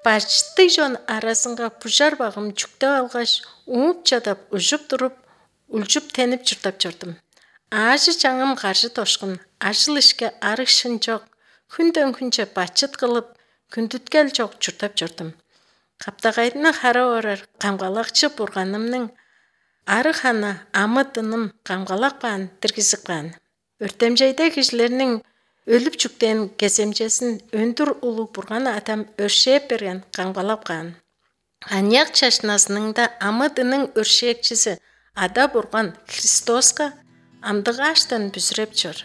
Башты жон арасынга пужар багым жүктөп алгаш, уңуп жадап, ужуп туруп, улжуп тенип журтап жүрдүм. Аашы жаңым каршы тошкун, ажыл ишке арышын жок, күндөн күнчө бачыт кылып, күндүткел жок журтап жүрдүм. Каптагайдын хара орар камгалакчы бурганымның ары хана амытыным камгалак баан диргизикпаан. Өртемжейде кишилердин өлүп жүктен кеземчесин өндүр улуу бурган атам өршээп берген камгалак баан. Аньяк чашнасының да амытының өршээкчиси ада бурган Христоска амдыгааштан бүзүрөп жүр.